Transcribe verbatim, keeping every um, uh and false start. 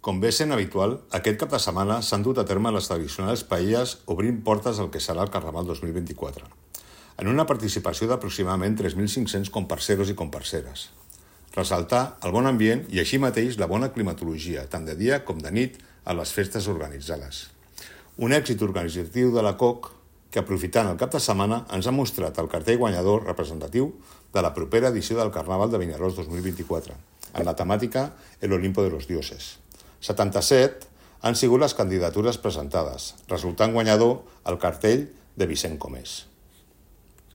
Com bé sent habitual, aquest cap de setmana s'han dut a terme les tradicionals paelles obrint portes al que serà el Carnaval dos mil vint-i-quatre, en una participació d'aproximadament tres mil cinc-cents comparseros i comparseres. Ressaltar el bon ambient i així mateix la bona climatologia, tant de dia com de nit, a les festes organitzades. Un èxit organitzatiu de la C O C que, aprofitant el cap de setmana, ens ha mostrat el cartell guanyador representatiu de la propera edició del Carnaval de Vinaròs dos mil vint-i-quatre, en la temàtica El Olimpo de los Dioses. setanta-set han sigut les candidatures presentades, resultant guanyador el cartell de Vicent Comés.